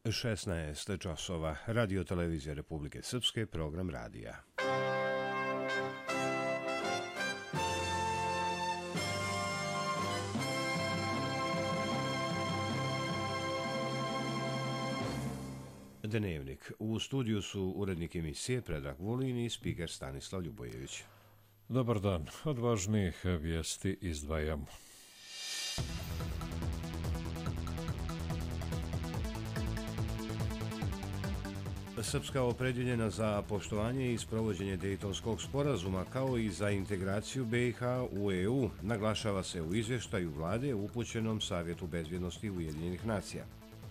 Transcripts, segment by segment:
16 časova. Radio Televizija Republike Srpske, program radija. Dnevnik. U studiju su urednik emisije Predrag Vulin i spiker Stanislav Ljubojević. Dobar dan. Od važnijih vijesti izdvajamo. Srpska opredjeljena za poštovanje i sprovođenje Dejtonskog sporazuma kao i za integraciju BiH u EU, naglašava se u izvještaju vlade upućenom Savjetu bezbjednosti Ujedinjenih nacija.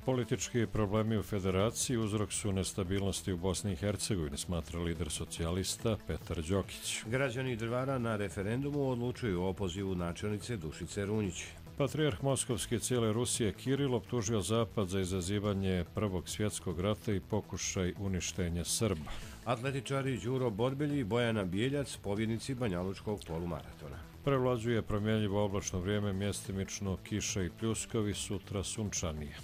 Politički problemi u federaciji uzrok su nestabilnosti u Bosni i Hercegovini, smatra lider socijalista Petar Đokić. Građani Drvara na referendumu odlučuju o opozivu načelnice Dušice Runjić. Patrijarh Moskovski cijele Rusije Kiril optužio Zapad za izazivanje Prvog svjetskog rata i pokušaj uništenja Srba. Atletičari Đuro Borbelji i Bojana Bijeljac, pobjednici Banjalučkog polumaratona. Prevlađuje promjenjivo oblačno vrijeme, mjestimično kiša i pljuskovi, sutra sunčanije.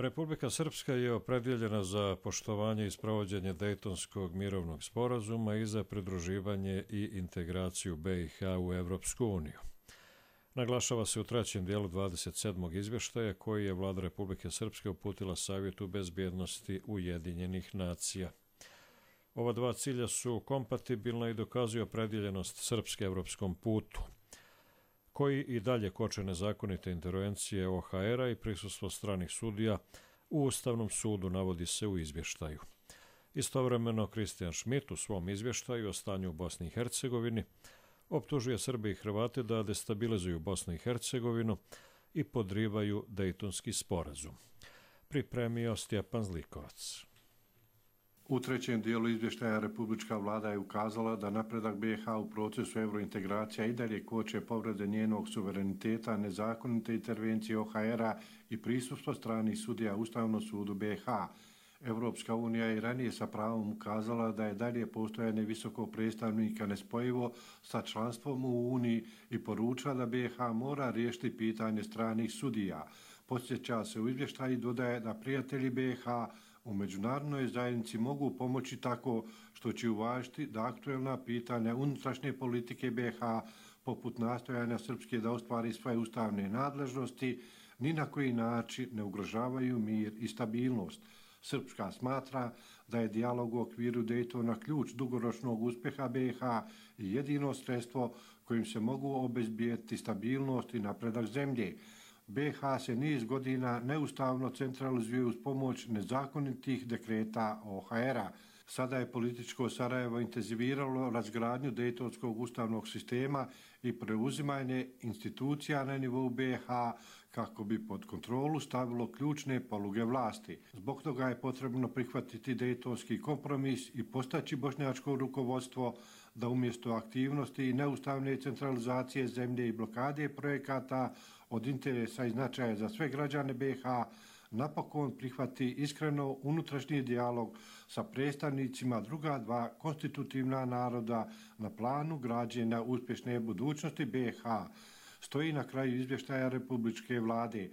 Republika Srpska je opredjeljena za poštovanje i sprovođenje Dejtonskog mirovnog sporazuma i za pridruživanje i integraciju BiH u Evropsku uniju. Naglašava se u trećem dijelu 27. izvještaja koji je vlada Republike Srpske uputila Savjetu bezbjednosti Ujedinjenih nacija. Ova dva cilja su kompatibilna i dokazuju opredjeljenost Srpske evropskom putu, koji i dalje koče nezakonite intervencije OHR-a i prisustvo stranih sudija u Ustavnom sudu, navodi se u izvještaju. Istovremeno, Kristijan Šmit u svom izvještaju o stanju u Bosni i Hercegovini optužuje Srbe i Hrvate da destabilizuju Bosnu i Hercegovinu i podrivaju Dejtonski sporazum. Pripremio Stjepan Zlikovac. U trećem dijelu izvještaja Republička vlada je ukazala da napredak BiH u procesu eurointegracija i dalje koče povrede njenog suvereniteta, nezakonite intervencije OHR-a i prisustvo stranih sudija Ustavnom sudu BiH. Evropska unija je ranije sa pravom ukazala da je dalje postojanje visokog predstavnika nespojivo sa članstvom u Uniji i poručila da BiH mora riješiti pitanje stranih sudija. Podsjeća se u izvještaju i dodaje da prijatelji BiH u međunarodnoj zajednici mogu pomoći tako što će uvažiti da aktuelna pitanja unutrašnje politike BiH, poput nastojanja Srpske da ostvari svoje ustavne nadležnosti, ni na koji način ne ugrožavaju mir i stabilnost. Srpska smatra da je dijalog u okviru Dejtona ključ dugoročnog uspjeha BiH i jedino sredstvo kojim se mogu obezbijeti stabilnost i napredak zemlje. BiH se niz godina neustavno centralizuje uz pomoć nezakonitih dekreta OHR-a. Sada je političko Sarajevo intenziviralo razgradnju Dejtonskog ustavnog sistema i preuzimanje institucija na nivou BiH kako bi pod kontrolu stavilo ključne poluge vlasti. Zbog toga je potrebno prihvatiti Dejtonski kompromis i postaći bošnjačko rukovodstvo da umjesto aktivnosti i neustavne centralizacije zemlje i blokade projekata od interesa i značaja za sve građane BiH napokon prihvati iskreno unutrašnji dijalog sa predstavnicima druga dva konstitutivna naroda na planu građenja uspješne budućnosti BiH, stoji na kraju izvještaja Republičke vlade.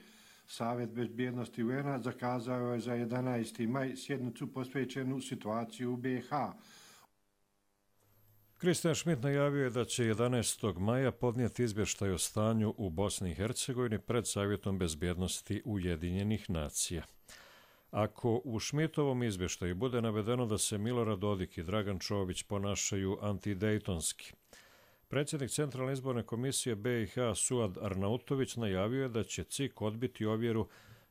Savjet bezbjednosti UN-a zakazao je za 11. maj sjednicu posvećenu situaciju u BiH. Kristijan Šmit najavio je da će 11. maja podnijeti izvještaj o stanju u Bosni i Hercegovini pred Savjetom bezbjednosti Ujedinjenih nacija. Ako u Šmitovom izvještaju bude navedeno da se Milorad Dodik i Dragan Čović ponašaju antidejtonski, predsjednik Centralne izborne komisije BiH Suad Arnautović najavio je da će CIK odbiti ovjeru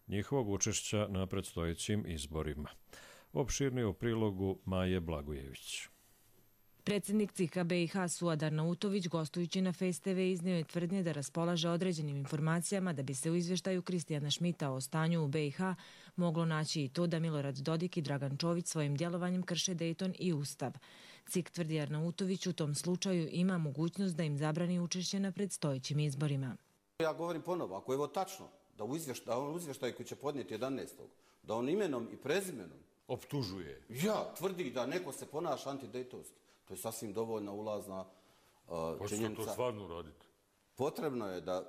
njihovog učešća na predstojećim izborima. Opširnije u prilogu Maje Blagojević. Predsjednik CIK-a BiH Suad Arnautović, gostujući na Face TV, iznio je tvrdnje da raspolaže određenim informacijama da bi se u izvještaju Kristijana Šmita o stanju u BiH moglo naći i to da Milorad Dodik i Dragan Čović svojim djelovanjem krše Dejton i Ustav. CIK, tvrdi Arnautović, u tom slučaju ima mogućnost da im zabrani učešće na predstojećim izborima. Ja govorim ponovo, ako je ovo tačno, da u izvještaju koji će podnijeti 11. da on imenom i prezimenom optužuje. Tvrdi da neko se ponaša antidejtonski. To je sasvim dovoljna ulazna činjenica. Hoćete to stvarno uraditi? Potrebno je da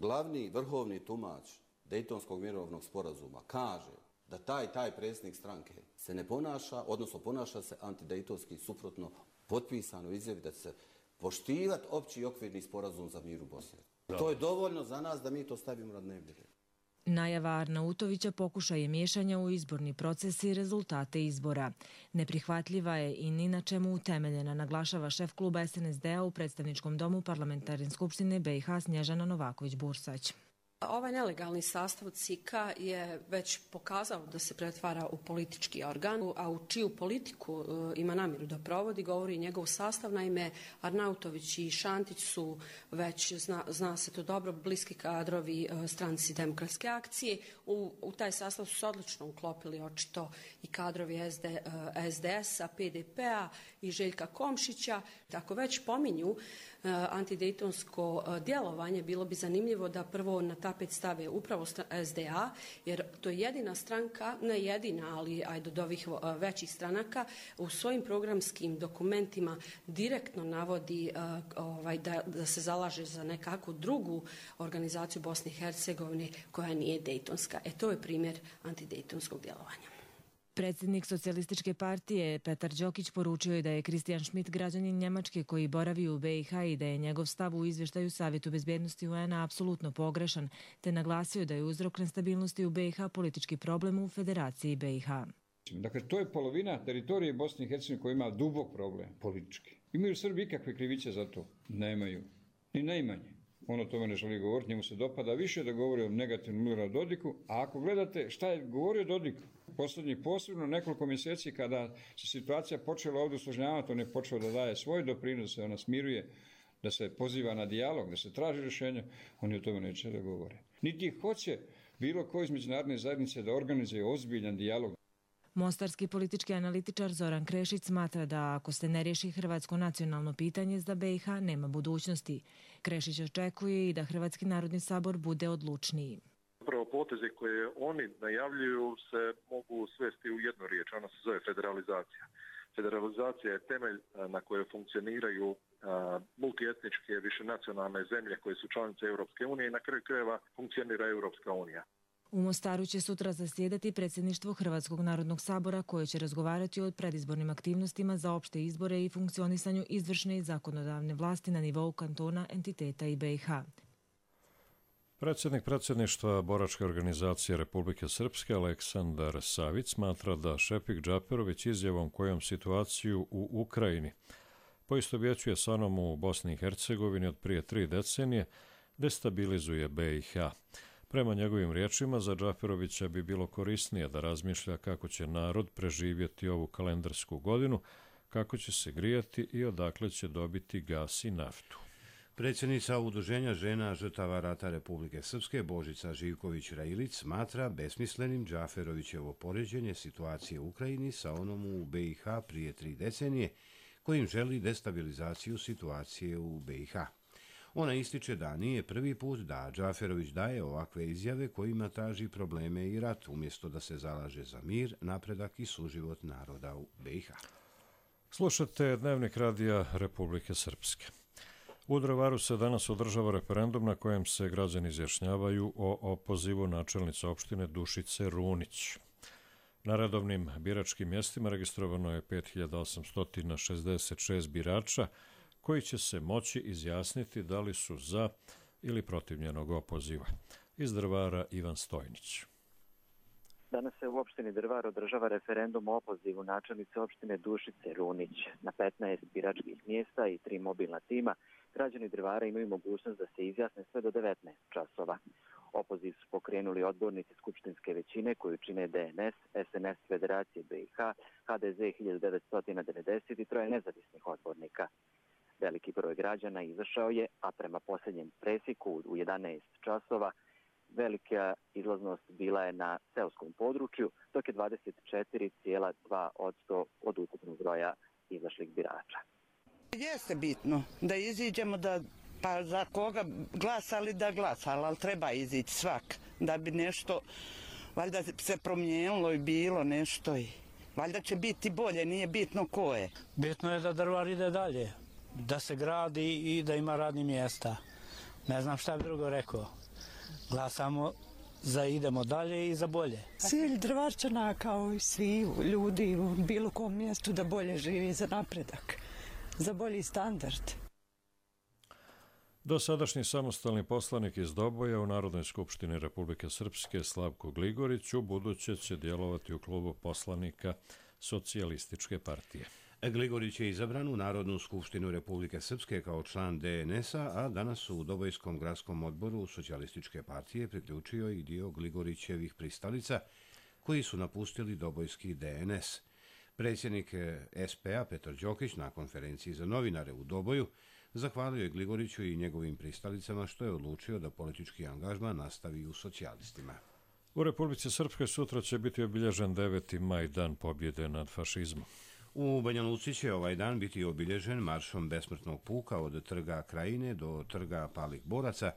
glavni vrhovni tumač Dejtonskog mirovnog sporazuma kaže da taj predsjednik stranke se ne ponaša, odnosno ponaša se antidejtonski, suprotno potpisanoj izjavi da će se poštivati opći okvirni sporazum za mir u Bosni. To je dovoljno za nas da mi to stavimo na dnevni red. Najava Arnautovića pokušaj je miješanja u izborni proces i rezultate izbora. Neprihvatljiva je i ni na čemu utemeljena, naglašava šef kluba SNSD-a u predstavničkom domu Parlamentarne skupštine BiH Snježana Novaković-Bursać. Ovaj nelegalni sastav CIK-a je već pokazao da se pretvara u politički organ, a u čiju politiku ima namjeru da provodi, govori njegov sastav. Naime, Arnautović i Šantić su već, zna se to dobro, bliski kadrovi Stranci demokratske akcije. U taj sastav su se odlično uklopili očito i kadrovi SDS-a, PDP-a i Željka Komšića. Ako već pominju antidejtonsko djelovanje, bilo bi zanimljivo da prvo na tapet stave upravo SDA, jer to je jedina stranka, ne jedina, ali ajde od ovih većih stranaka, u svojim programskim dokumentima direktno navodi da se zalaže za nekakvu drugu organizaciju Bosne i Hercegovine koja nije dejtonska. To je primjer antidejtonskog djelovanja. Predsjednik Socijalističke partije Petar Đokić poručio je da je Christian Schmidt građanin Njemačke koji boravi u BiH i da je njegov stav u izvještaju Savjetu bezbjednosti UN-a apsolutno pogrešan, te naglasio da je uzrok nestabilnosti u BiH politički problem u Federaciji BiH. Dakle, to je polovina teritorije Bosne i Hercegovine koja ima dubok problem politički. Imaju Srbi ikakve krivice za to? Nemaju. Ni najmanje. On o tome ne želi govoriti, njemu se dopada više da govori o negativnom Miloradu Dodiku, a ako gledate šta je govorio Dodik posljednjih posebno nekoliko mjeseci kada se situacija počela ovdje usložnjavati, on je počeo da daje svoj doprinos, da se ona smiruje, da se poziva na dijalog, da se traži rješenje, oni o tome neće da govore. Niti hoće bilo ko iz međunarodne zajednice da organizuje ozbiljan dijalog. Mostarski politički analitičar Zoran Krešić smatra da ako se ne riješi hrvatsko nacionalno pitanje za BiH nema budućnosti. Krešić očekuje i da Hrvatski narodni sabor bude odlučniji. Upravo poteze koje oni najavljuju se mogu svesti u jednu riječ, ona se zove federalizacija. Federalizacija je temelj na koje funkcioniraju multietničke višenacionalne zemlje koje su članice Europske unije i na kraju krajeva funkcionira Europska unija. U Mostaru će sutra zasjedati predsjedništvo Hrvatskog narodnog sabora koje će razgovarati o predizbornim aktivnostima za opšte izbore i funkcionisanju izvršne i zakonodavne vlasti na nivou kantona, entiteta i BiH. Predsjednik predsjedništva Boračke organizacije Republike Srpske Aleksandar Savić smatra da Šepik Džaperović izjavom kojom situaciju u Ukrajini poistovjećuje sa onom u Bosni i Hercegovini od prije 3 decenije destabilizuje BiH. Prema njegovim riječima, za Džaperovića bi bilo korisnije da razmišlja kako će narod preživjeti ovu kalendarsku godinu, kako će se grijati i odakle će dobiti gas i naftu. Predsjednica Udruženja žena žrtava rata Republike Srpske Božica Živković-Railić smatra besmislenim Džaferovićevo poređenje situacije u Ukrajini sa onom u BiH prije 3 decenije, kojim želi destabilizaciju situacije u BiH. Ona ističe da nije prvi put da Džaferović daje ovakve izjave kojima traži probleme i rat, umjesto da se zalaže za mir, napredak i suživot naroda u BiH. Slušate Dnevnik radija Republike Srpske. U Drvaru se danas održava referendum na kojem se građani izjašnjavaju o opozivu načelnice opštine Dušice Runić. Na redovnim biračkim mjestima registrovano je 5866 birača koji će se moći izjasniti da li su za ili protiv njenog opoziva. Iz Drvara Ivan Stojnić. Danas se u opštini Drvar održava referendum o opozivu načelnice opštine Dušice Runić. Na 15 biračkih mjesta i 3 mobilna tima građani Drvara imaju mogućnost da se izjasne sve do 19 časova. Opoziv su pokrenuli odbornici skupštinske većine koju čine DNS, SNS Federacije BiH, HDZ 1990 i 3 nezavisnih odbornika. Veliki broj građana izašao je, a prema posljednjem presiku u 11 časova velika izlaznost bila je na seoskom području, dok je 24,2% od ukupnog broja izašlih birača. Jeste bitno da iziđemo, pa za koga glasali da glasali, ali treba izići svak da bi nešto, valjda se promijenilo i bilo nešto i valjda će biti bolje, nije bitno ko je. Bitno je da Drvar ide dalje, da se gradi i da ima radnih mjesta. Ne znam šta bi drugo rekao. Glasamo za idemo dalje i za bolje. Cilj Drvarčana kao i svi ljudi u bilo kom mjestu da bolje živi za napredak, za bolji standard. Dosadašnji samostalni poslanik iz Doboja u Narodnoj skupštini Republike Srpske Slavko Gligorić u buduće će djelovati u klubu poslanika Socijalističke partije. Gligorić je izabran u Narodnu skupštinu Republike Srpske kao član DNS-a, a danas u Dobojskom gradskom odboru Socijalističke partije priključio i dio Gligorićevih pristalica koji su napustili Dobojski DNS. Predsjednik SP-a Petar Đokić na konferenciji za novinare u Doboju zahvalio je Gligoriću i njegovim pristalicama što je odlučio da politički angažman nastavi u socijalistima. U Republici Srpskoj sutra će biti obilježen 9. maj, dan pobjede nad fašizmom. U Banja Luci će ovaj dan biti obilježen maršom besmrtnog puka od trga Krajine do trga Palih boraca,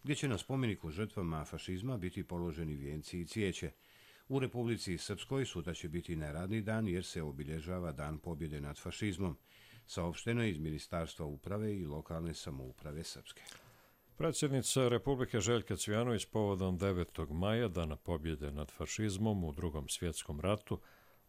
gdje će na spomeniku žrtvama fašizma biti položeni vijenci i cvijeće. U Republici Srpskoj sutra će biti neradni dan jer se obilježava dan pobjede nad fašizmom. Saopšteno je iz Ministarstva uprave i lokalne samouprave Srpske. Predsjednica Republike Željka Cvijanović povodom 9. maja, dana pobjede nad fašizmom u Drugom svjetskom ratu,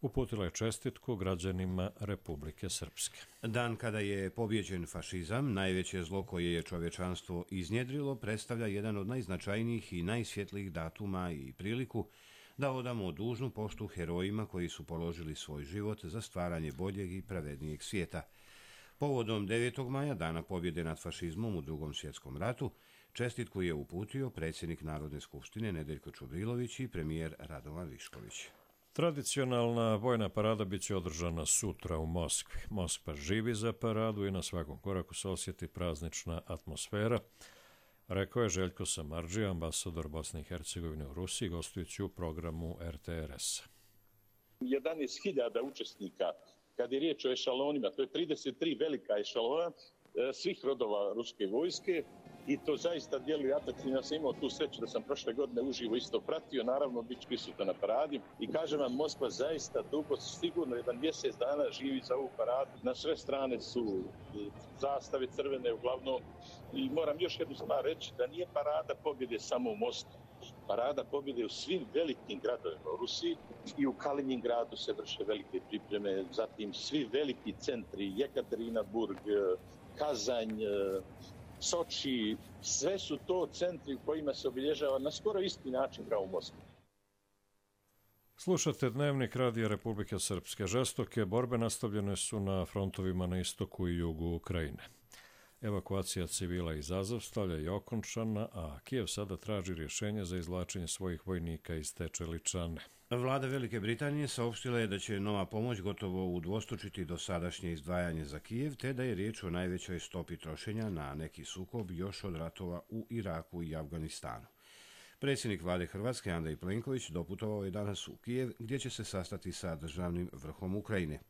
uputila je čestitku građanima Republike Srpske. Dan kada je pobjeđen fašizam, najveće zlo koje je čovječanstvo iznjedrilo, predstavlja jedan od najznačajnijih i najsvjetlijih datuma i priliku da odamo dužnu poštu herojima koji su položili svoj život za stvaranje boljeg i pravednijeg svijeta. Povodom 9. maja, dana pobjede nad fašizmom u Drugom svjetskom ratu, čestitku je uputio predsjednik Narodne skupštine Nedeljko Čubrilović i premijer Radovan Višković. Tradicionalna vojna parada biće održana sutra u Moskvi. Moskva živi za paradu i na svakom koraku se osjeti praznična atmosfera, rekao je Željko Samardžija, ambasador Bosne i Hercegovine u Rusiji, gostujući u programu RTRS. 11.000 učesnika. Kad je riječ o ešalonima, to je 33 velika ešalona svih rodova ruske vojske i to zaista djeluje atraktivno. Ja sam imao tu sreću da sam prošle godine uživo isto pratio, naravno bit ću prisutan na paradi i kažem vam, Moskva zaista dugo, sigurno jedan mjesec dana živi za ovu paradu. Na sve strane su zastave crvene uglavnom i moram još jednu stvar reći, da nije parada pobjede samo u Moskvi. Parada pobjede u svim velikim gradovima u Rusiji i u Kaliningradu se vrše velike pripreme, zatim svi veliki centri, Jekaterinburg, Kazanj, Soči, sve su to centri u kojima se obilježava na skoro isti način kao u Moskvi. Slušate Dnevnik Radija Republike Srpske. Žestoke borbe nastavljene su na frontovima na istoku i jugu Ukrajine. Evakuacija civila iz Azovstalja je okončana, a Kijev sada traži rješenje za izvlačenje svojih vojnika iz te čeličane. Vlada Velike Britanije saopštila je da će nova pomoć gotovo udvostručiti dosadašnje izdvajanje za Kijev, te da je riječ o najvećoj stopi trošenja na neki sukob još od ratova u Iraku i Afganistanu. Predsjednik vlade Hrvatske Andrej Plenković doputovao je danas u Kijev, gdje će se sastati sa državnim vrhom Ukrajine.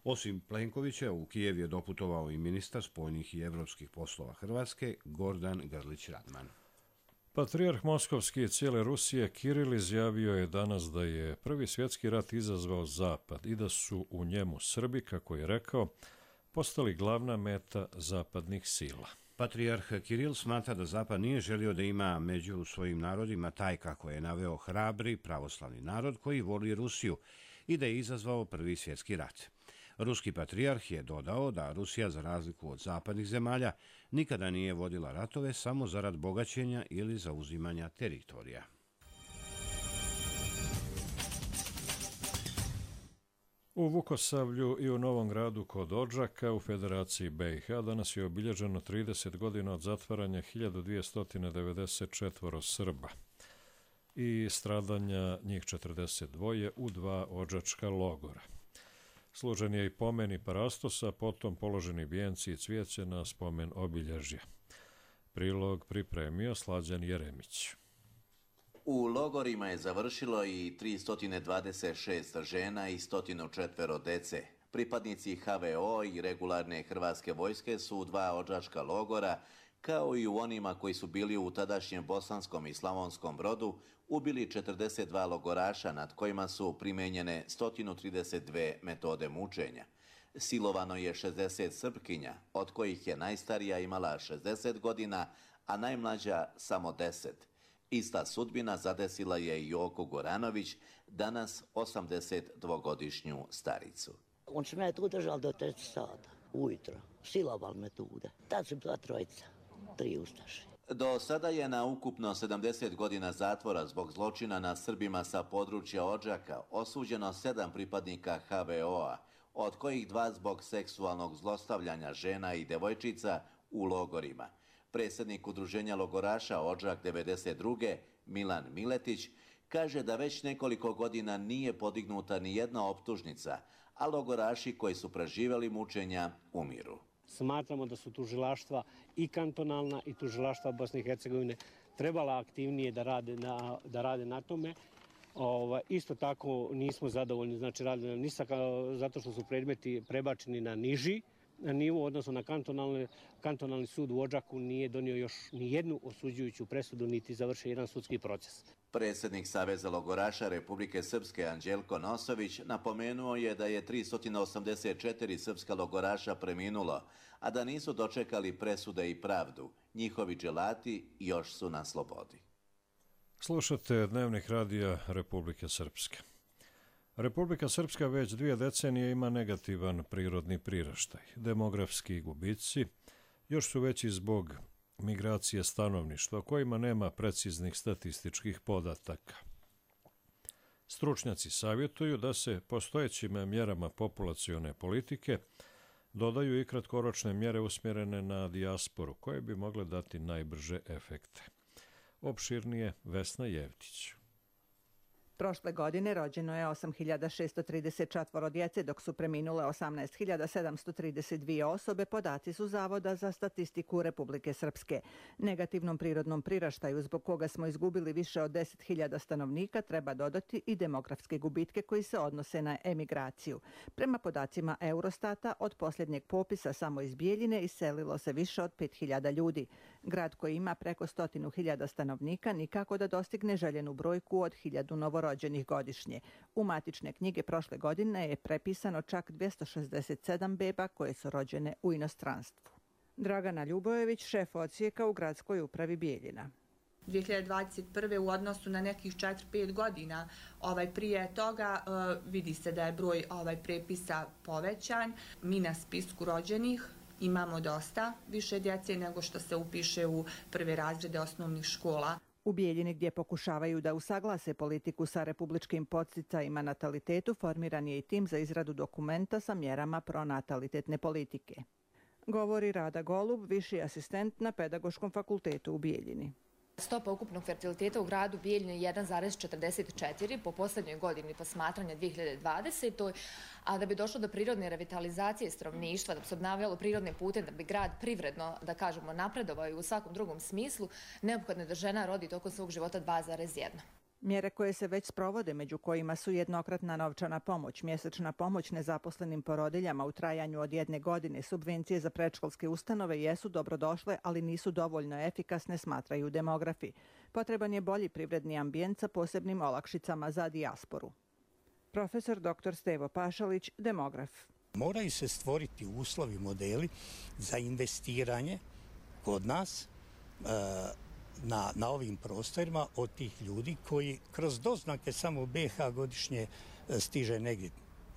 Osim Plenkovića, u Kijev je doputovao i ministar spoljnih i evropskih poslova Hrvatske Gordan Grlić-Radman. Patrijarh Moskovski i cijele Rusije Kiril izjavio je danas da je Prvi svjetski rat izazvao Zapad i da su u njemu Srbi, kako je rekao, postali glavna meta zapadnih sila. Patrijarh Kiril smatra da Zapad nije želio da ima među svojim narodima taj, kako je naveo, hrabri pravoslavni narod koji voli Rusiju i da je izazvao Prvi svjetski rat. Ruski patrijarh je dodao da Rusija, za razliku od zapadnih zemalja, nikada nije vodila ratove samo zarad bogaćenja ili zauzimanja teritorija. U Vukosavlju i u Novom Gradu kod Odžaka u Federaciji BiH danas je obilježeno 30 godina od zatvaranja 1294 Srba i stradanja njih 42 u 2 odžačka logora. Služen je i pomen i parastosa, potom položeni vijenci i cvijeće na spomen obilježja. Prilog pripremio Slađan Jeremić. U logorima je završilo i 326 žena i 104 dece. Pripadnici HVO i regularne hrvatske vojske su u 2 odžačka logora, kao i u onima koji su bili u tadašnjem Bosanskom i Slavonskom Brodu, ubili 42 logoraša nad kojima su primenjene 132 metode mučenja. Silovano je 60 Srpkinja, od kojih je najstarija imala 60 godina, a najmlađa samo 10. Ista sudbina zadesila je i Joku Goranović, danas 82-godišnju staricu. On će me tu držali do 3 sata, ujutro, silovali metode. Tad su bila 3 ustaše. Do sada je na ukupno 70 godina zatvora zbog zločina nad Srbima sa područja Odžaka osuđeno 7 pripadnika HVO-a, od kojih 2 zbog seksualnog zlostavljanja žena i devojčica u logorima. Predsjednik udruženja logoraša Odžak 92. Milan Miletić kaže da već nekoliko godina nije podignuta ni jedna optužnica, a logoraši koji su preživjeli mučenja umiru. Smatramo da su tužilaštva i kantonalna i tužilaštva Bosne i Hercegovine trebala aktivnije da rade na tome. Isto tako nismo zadovoljni, znači radili ni zato što su predmeti prebačeni na niži nivo, odnosno na kantonalni sud u Odžaku nije donio još ni jednu osuđujuću presudu niti završio jedan sudski proces. Predsjednik Saveza logoraša Republike Srpske Anđelko Nosović napomenuo je da je 384 srpska logoraša preminulo, a da nisu dočekali presude i pravdu. Njihovi dželati još su na slobodi. Slušate Dnevnik radija Republike Srpske. Republika Srpska već 2 decenije ima negativan prirodni priraštaj. Demografski gubici još su veći zbog migracije stanovništva, kojima nema preciznih statističkih podataka. Stručnjaci savjetuju da se postojećim mjerama populacione politike dodaju i kratkoročne mjere usmjerene na dijasporu, koje bi mogle dati najbrže efekte. Opširnije Vesna Jevtić. Prošle godine rođeno je 8.634 djece, dok su preminule 18.732 osobe, podaci su Zavoda za statistiku Republike Srpske. Negativnom prirodnom priraštaju, zbog koga smo izgubili više od 10.000 stanovnika, treba dodati i demografske gubitke koji se odnose na emigraciju. Prema podacima Eurostata, od posljednjeg popisa samo iz Bijeljine iselilo se više od 5.000 ljudi. Grad koji ima preko 100.000 stanovnika nikako da dostigne željenu brojku od 1.000 novorođenih godišnje. U matične knjige prošle godine je prepisano čak 267 beba koje su rođene u inostranstvu. Dragana Ljubojević, šef odsjeka u gradskoj upravi Bijeljina. 2021. u odnosu na nekih 4-5 godina prije toga vidi se da je broj prepisa povećan. Mi na spisku rođenih imamo dosta više djece nego što se upiše u prve razrede osnovnih škola. U Bijeljini, gdje pokušavaju da usaglase politiku sa republičkim podsticajima natalitetu, formiran je i tim za izradu dokumenta sa mjerama pronatalitetne politike. Govori Rada Golub, viši asistent na Pedagoškom fakultetu u Bijeljini. Stopa ukupnog fertiliteta u gradu Bijeljine je 1,44 po posljednjoj godini posmatranja 2020. A da bi došlo do prirodne revitalizacije stanovništva, da bi se obnavljalo prirodne pute, da bi grad privredno, da kažemo, napredovao i u svakom drugom smislu, neophodno je da žena rodi tokom svog života 2,1. Mjere koje se već sprovode, među kojima su jednokratna novčana pomoć, mjesečna pomoć nezaposlenim porodiljama u trajanju od 1 godine, subvencije za predškolske ustanove jesu dobrodošle, ali nisu dovoljno efikasne, smatraju demografi. Potreban je bolji privredni ambijent sa posebnim olakšicama za dijasporu. Profesor dr. Stevo Pašalić, demograf. Moraju se stvoriti uslovi, modeli za investiranje kod nas na ovim prostorima od tih ljudi koji kroz doznake samo BiH godišnje stiže negdje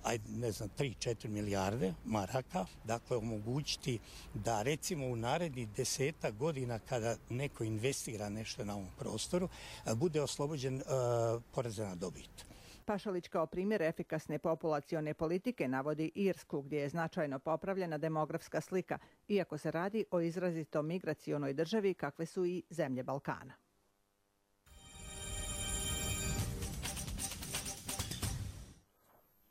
3-4 milijarde maraka. Dakle, omogućiti da recimo u narednih 10 godina kada neko investira nešto na ovom prostoru bude oslobođen poreza na dobit. Pašalić kao primjer efikasne populacione politike navodi Irsku, gdje je značajno popravljena demografska slika, iako se radi o izrazito migracionoj državi kakve su i zemlje Balkana.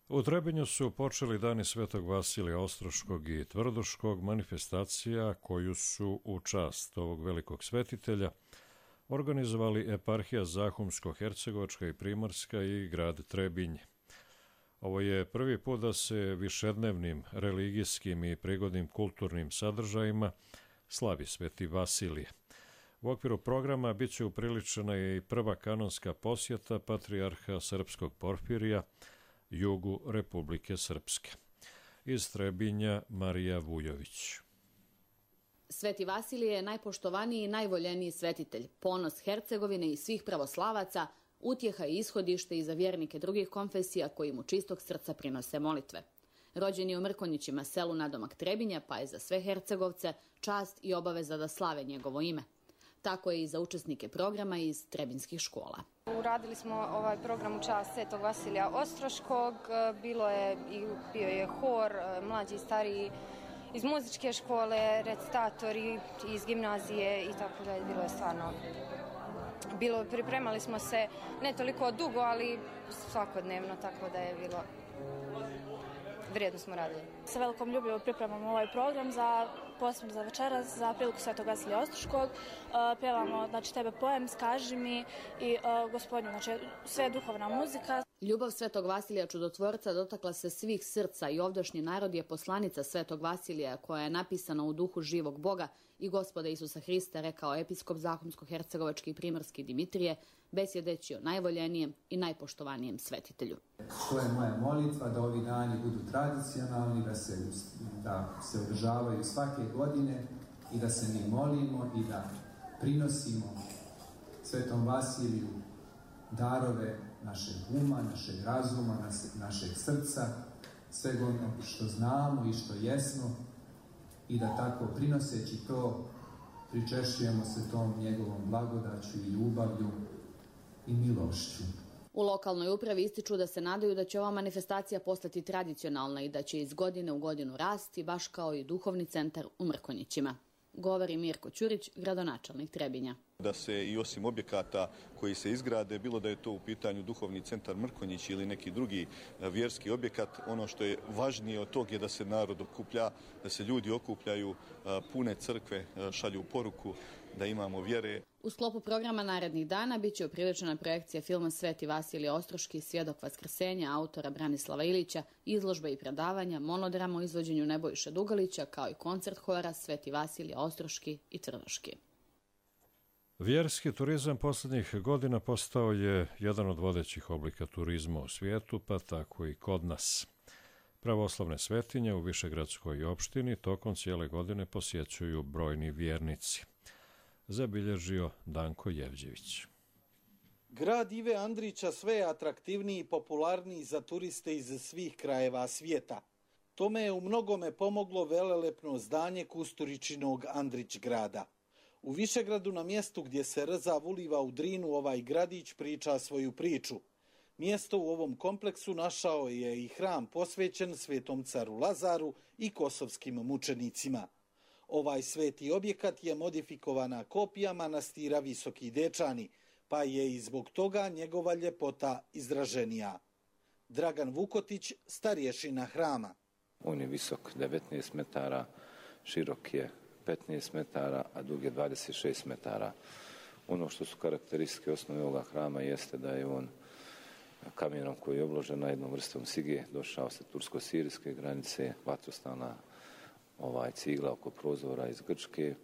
U Trebinju su počeli dani Svetog Vasilija Ostroškog i Tvrdoškog, manifestacija koju su u čast ovog velikog svetitelja organizovali eparhija Zahumsko-Hercegovačka i Primorska i grad Trebinje. Ovo je prvi put da se višednevnim religijskim i prigodnim kulturnim sadržajima slavi Sveti Vasilije. U okviru programa bit će upriličena i prva kanonska posjeta patrijarha srpskog Porfirija jugu Republike Srpske. Iz Trebinja Marija Vujović. Sveti Vasilije je najpoštovaniji i najvoljeniji svetitelj, ponos Hercegovine i svih pravoslavaca, utjeha i ishodište i za vjernike drugih konfesija koji mu čistog srca prinose molitve. Rođen je u Mrkonjićima, selu nadomak Trebinja, pa je za sve Hercegovce čast i obaveza da slave njegovo ime. Tako je i za učesnike programa iz trebinskih škola. Uradili smo ovaj program u čast Svetog Vasilija Ostroškog, bio je hor, mlađi i stariji iz muzičke škole, recitatori iz gimnazije i tako da je bilo je stvarno. Pripremali smo se ne toliko dugo, ali svakodnevno, tako da je bilo vrijedno smo radili. Sa velikom ljubavom pripremamo ovaj program posebno za večeras, za priliku Svetog Vasilija Ostroškog. Pjevamo, Tebe poem, Skaži mi i Gospodinu, sve duhovna muzika. Ljubav Svetog Vasilija Čudotvorca dotakla se svih srca i ovdašnji narod je poslanica Svetog Vasilija koja je napisana u duhu živog Boga i Gospoda Isusa Hrista, rekao episkop Zahumsko-hercegovački i primorski Dimitrije, besjedeći o najvoljenijem i najpoštovanijem svetitelju. To je moja molitva da ovi dani budu tradicionalni, da se održavaju svake godine i da se mi molimo i da prinosimo Svetom Vasiliju darove našeg uma, našeg razuma, našeg srca, svega ono što znamo i što jesmo i da tako prinoseći to pričešćujemo se tom njegovom blagodaću i ljubavlju i milošću. U lokalnoj upravi ističu da se nadaju da će ova manifestacija postati tradicionalna i da će iz godine u godinu rasti, baš kao i duhovni centar u Mrkonjićima. Govori Mirko Ćurić, gradonačelnik Trebinja. Da se i osim objekata koji se izgrade, bilo da je to u pitanju duhovni centar Mrkonjić ili neki drugi vjerski objekat, ono što je važnije od tog je da se narod okuplja, da se ljudi okupljaju, pune crkve, šalju poruku, da imamo vjere. U sklopu programa narednih dana bit će upriličena projekcija filma Sveti Vasilije Ostroški, Svjedok Vaskrsenja autora Branislava Ilića, izložbe i predavanja, monodrama o izvođenju Nebojše Dugalića, kao i koncert hora Sveti Vasilije Ostroški i Tvrdoški. Vjerski turizam posljednjih godina postao je jedan od vodećih oblika turizma u svijetu, pa tako i kod nas. Pravoslavne svetinje u Višegradskoj opštini tokom cijele godine posjećuju brojni vjernici. Zabilježio Danko Jevđević. Grad Ive Andrića sve je atraktivniji i popularniji za turiste iz svih krajeva svijeta. Tome je u mnogome pomoglo velelepno zdanje Kusturičinog Andrić grada. U Višegradu, na mjestu gdje se Rzav uliva u Drinu, ovaj gradić priča svoju priču. Mjesto u ovom kompleksu našao je i hram posvećen Svetom caru Lazaru i kosovskim mučenicima. Ovaj sveti objekat je modifikovana kopija manastira Visoki Dečani, pa je i zbog toga njegova ljepota izraženija. Dragan Vukotić, starješina hrama. On je visok 19 metara, širok je 15 metara, a dug je 26 metara. Ono što su karakteristike osnove ovoga hrama jeste da je on kamenom koji je obložen na jednom vrstom sige došao sa tursko-sirijske granice, vatrostalna cigla oko prozora iz Grčke,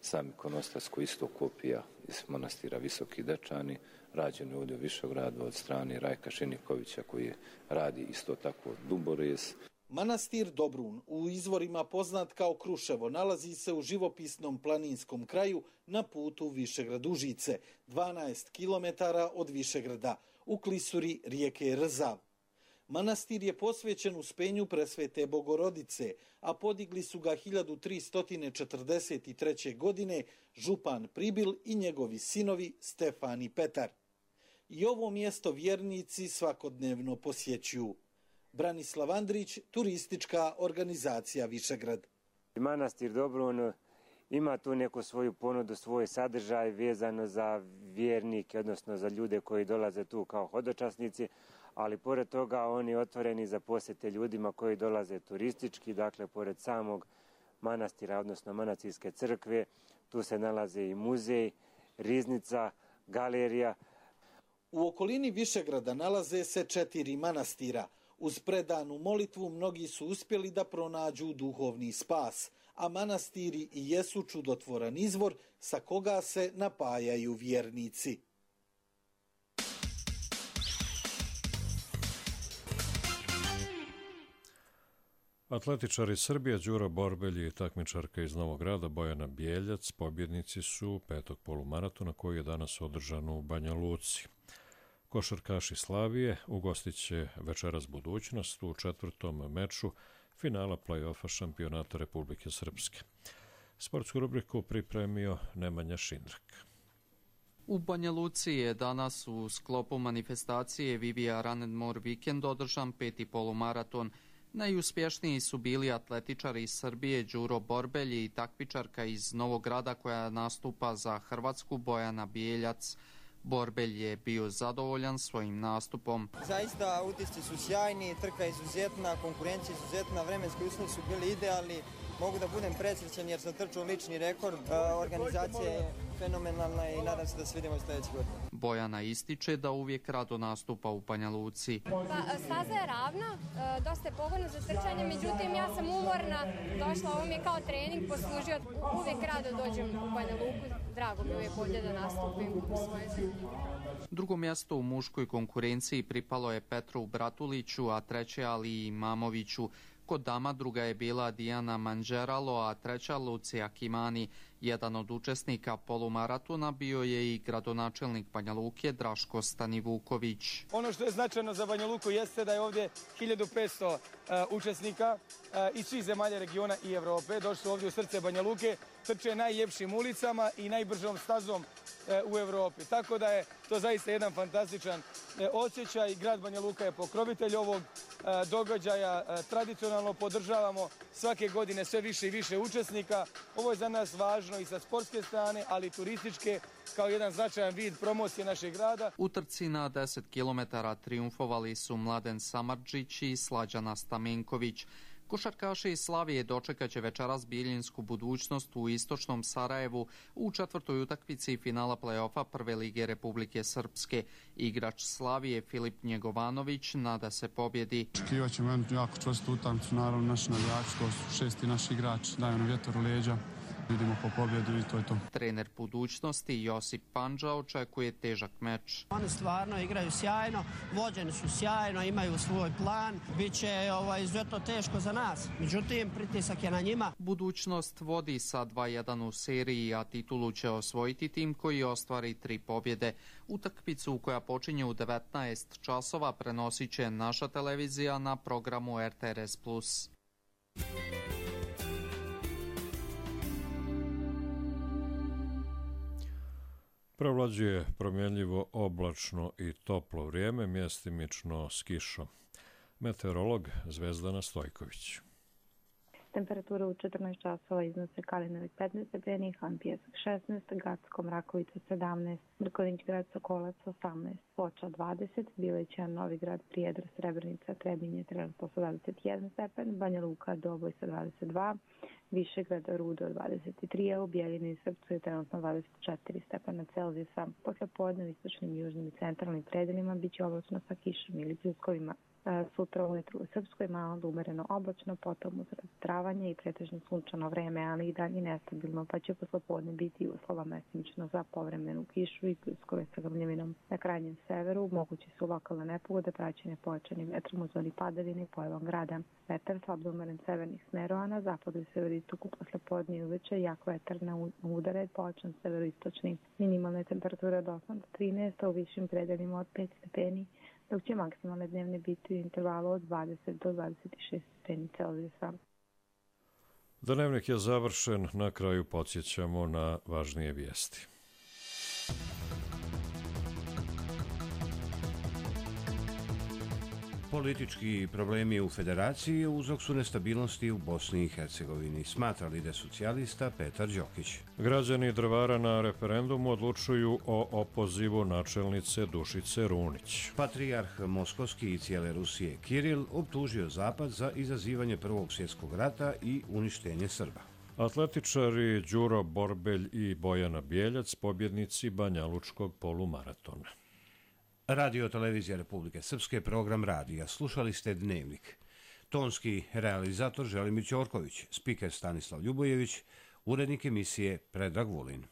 sam ikonostas koji isto kopija iz manastira Visoki Dečani, rađen je ovdje u Višegradu od strane Rajka Šenikovića koji radi isto tako Duborez. Manastir Dobrun, u izvorima poznat kao Kruševo, nalazi se u živopisnom planinskom kraju na putu Višegrad-Užice, 12 km od Višegrada, u klisuri rijeke Rzav. Manastir je posvećen Uspenju Presvete Bogorodice, a podigli su ga 1343. godine župan Pribil i njegovi sinovi Stefan i Petar. I ovo mjesto vjernici svakodnevno posjećuju. Branislav Andrić, turistička organizacija Višegrad. Manastir Dobrun ima tu neku svoju ponudu, svoj sadržaj vezano za vjernike, odnosno za ljude koji dolaze tu kao hodočasnici, ali pored toga oni otvoreni za posjete ljudima koji dolaze turistički, dakle pored samog manastira, odnosno manastirske crkve, tu se nalaze i muzej, riznica, galerija. U okolini Višegrada nalaze se 4 manastira. Uz predanu molitvu mnogi su uspjeli da pronađu duhovni spas, a manastiri i jesu čudotvoran izvor sa koga se napajaju vjernici. Atletičari Srbije Đuro Borbelj i takmičarka iz Novog Grada Bojana Bijeljac pobjednici su 5. polumaratona koji je danas održan u Banja Luci. Košarkaši Slavije ugostit će večeras Budućnost u 4. meču finala play-offa šampionata Republike Srpske. Sportsku rubriku pripremio Nemanja Šindrak. U Banja Luci je danas u sklopu manifestacije Vivia Run and More Weekend održan 5. polumaraton. Najuspješniji su bili atletičari iz Srbije Đuro Borbelj i takmičarka iz Novog Grada koja nastupa za Hrvatsku Bojana Bijeljac. Borbelj je bio zadovoljan svojim nastupom. Zaista utisci su sjajni, trka izuzetna, konkurencija izuzetna, vremenski uslovi su bili idealni. Mogu da budem presrećan jer sam trčao lični rekord. Organizacija je fenomenalna i nadam se da se vidimo sljedeće godine. Bojana ističe da uvijek rado nastupa u Banja Luci. Staza je ravna, dosta je pogodna za trčanje, međutim ja sam umorna, došla, ovo mi je kao trening poslužio, uvijek rado dođem u Banja Luku, drago mi je uvijek ovdje da nastupim u svojoj zemlji. Drugo mjesto u muškoj konkurenciji pripalo je Petru Bratuliću, a treće Ali Imamoviću. Kod dama druga je bila Dijana Manđeralo, a treća Lucija Kimani. Jedan od učesnika polumaratona bio je i gradonačelnik Banja Luke Draško Stanivuković. Ono što je značajno za Banja Luku jeste da je ovdje 1500 učesnika iz svih zemalja regiona i Evrope. Došli su ovdje u srce Banja Luke, trče najljepšim ulicama i najbržom stazom u Evropi. Tako da je to zaista jedan fantastičan osjećaj. Grad Banja Luka je pokrovitelj ovog događaja. Tradicionalno podržavamo svake godine sve više i više učesnika. Ovo je za nas važno i sa sportske strane, ali i turističke, kao jedan značajan vid promocije našeg grada. U trci na 10 km triumfovali su Mladen Samardžić i Slađana Stamenković. Košarkaši iz Slavije dočekat će večeras Biljinsku Budućnost u istočnom Sarajevu u 4. utakmici finala play-offa Prve lige Republike Srpske. Igrač Slavije Filip Njegovanović nada se pobjedi. Očekivat ćemo jednu jako čvrstu utakmicu, naravno naši navijači, to su 6. naši igrači, daju nam vjetar u leđa. Idemo po pobjedu i to je to. Trener Budućnosti Josip Pandža očekuje težak meč. Oni stvarno igraju sjajno, vođeni su sjajno, imaju svoj plan. Biće izuzetno teško za nas, međutim pritisak je na njima. Budućnost vodi sa 2-1 u seriji, a titulu će osvojiti tim koji ostvari 3 pobjede. Utakmicu koja počinje u 19 časova prenosit će naša televizija na programu RTRS+. Prevlađuje promjenljivo oblačno i toplo vrijeme, mjestimično s kišom. Meteorolog Zvezdana Stojković. Temperatura u 14 časova iznose Kalinović 15 stepeni, Han Pijesak 16, Gacko Mrakovica 17, Mrkonjić Grad Sokolac 18, Foča 20, Bilećan, Novi Grad, Prijedor, Srebrenica, Trebinje trenutno 21 stepen, Banja Luka, Doboj sa 22, Višegrad, Rudo 23, a u Bjeljini i Srpcu je trenutno 24 stepena Celzijusa. Posle podne u istočnim, južnim i centralnim predelima biće oblačno sa kišom ili pljuskovima. Sutra ujutru u Srpskoj malo umereno oblačno, potom uz razotravanje i pretežno sunčano vreme, ali i dalje nestabilno, pa će poslepodne biti uslova mestimično za povremenu kišu i pljuskove sa grmljavinom. Na krajnjem severu mogući su lokalne nepogode praćene pojačanim vetrom u zoni padavine i pojavom grada. Vetar slab umeren severnih smerova, na zapadu i severistoku poslepodne i uveče jak vetar na udare, pojačan severoistočni. Minimalne temperature od 8 do 13, a u višim predelima od 5 stepeni, dok će maksimalne dnevne biti u intervalu od 20 do 26 stepeni Celzijusa. Dnevnik je završen, na kraju podsjećamo na važnije vijesti. Politički problemi u federaciji uzrok su nestabilnosti u Bosni i Hercegovini, smatra lider socijalista Petar Đokić. Građani Drvara na referendumu odlučuju o opozivu načelnice Dušice Runić. Patrijarh Moskovski i cijele Rusije Kiril optužio Zapad za izazivanje Prvog svjetskog rata i uništenje Srba. Atletičari Đuro Borbelj i Bojana Bijeljac pobjednici Banjalučkog polumaratona. Radio Televizija Republike Srpske, program radija. Slušali ste Dnevnik. Tonski realizator Želimir Ćorković, spiker Stanislav Ljubojević, urednik emisije Predrag Vulin.